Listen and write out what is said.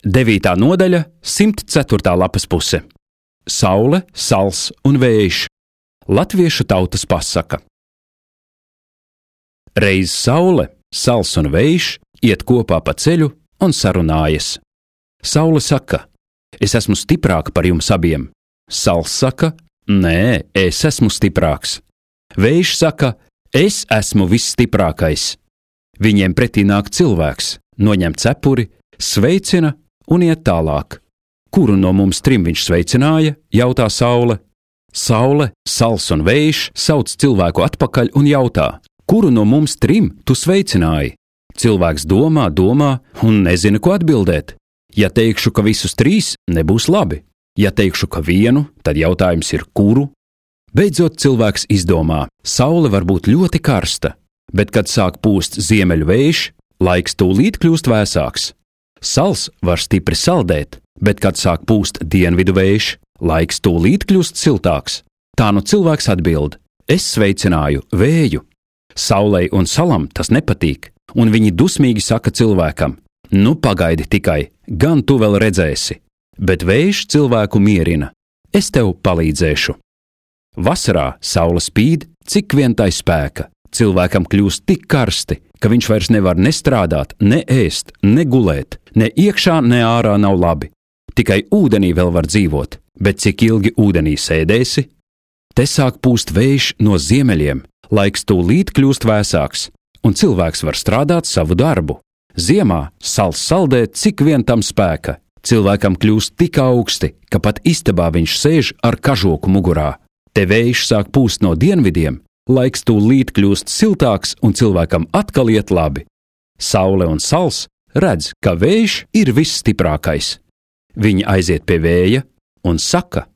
9. nodaļa, 104. lapas puse. Saule, sals un vējš. Latviešu tautas pasaka. Reiz saule, sals un vējš iet kopā pa ceļu un sarunājas. Saule saka: es esmu stiprāka par jums abiem. Sals saka: nē, es esmu stiprāks. Vējš saka: es esmu visstiprākais. Viņiem pretī nāk cilvēks, noņem cepuri, sveicina un iet tālāk. Kuru no mums trim viņš sveicināja? Jautā saule. Saule, sals un vējš sauc cilvēku atpakaļ un jautā: kuru no mums trim tu sveicināji? Cilvēks domā un nezina, ko atbildēt. Ja teikšu, ka visus trīs, nebūs labi. Ja teikšu, ka vienu, tad jautājums ir kuru? Beidzot cilvēks izdomā: saule var būt ļoti karsta, bet kad sāk pūst ziemeļu vējš, laiks tūlīt kļūst vēsāks. Sals var stipri saldēt, bet kad sāk pūst dienvidu vējš, laiks tūlīt kļūst siltāks. Tā nu cilvēks atbild: es sveicināju vēju. Saulei un salam tas nepatīk, un viņi dusmīgi saka cilvēkam: nu pagaidi tikai, gan tu vēl redzēsi. Bet vējš cilvēku mierina: es tev palīdzēšu. Vasarā saule spīd, cik vien tai spēka. Cilvēkam kļūst tik karsti, ka viņš vairs nevar ne strādāt, ne ēst, ne gulēt, ne iekšā, ne ārā nav labi. Tikai ūdenī vēl var dzīvot, bet cik ilgi ūdenī sēdēsi? Te sāk pūst vējš no ziemeļiem, laiks tūlīt kļūst vēsāks, un cilvēks var strādāt savu darbu. Ziemā sals saldē, cik vien tam spēka. Cilvēkam kļūst tik augsti, ka pat istabā viņš sēž ar kažoku mugurā. Te vējš sāk pūst no dienvidiem, laiks tūlīt kļūst siltāks un cilvēkam atkal iet labi. Saule un sals redz, ka vējš ir visstiprākais. Viņi aiziet pie vēja un saka: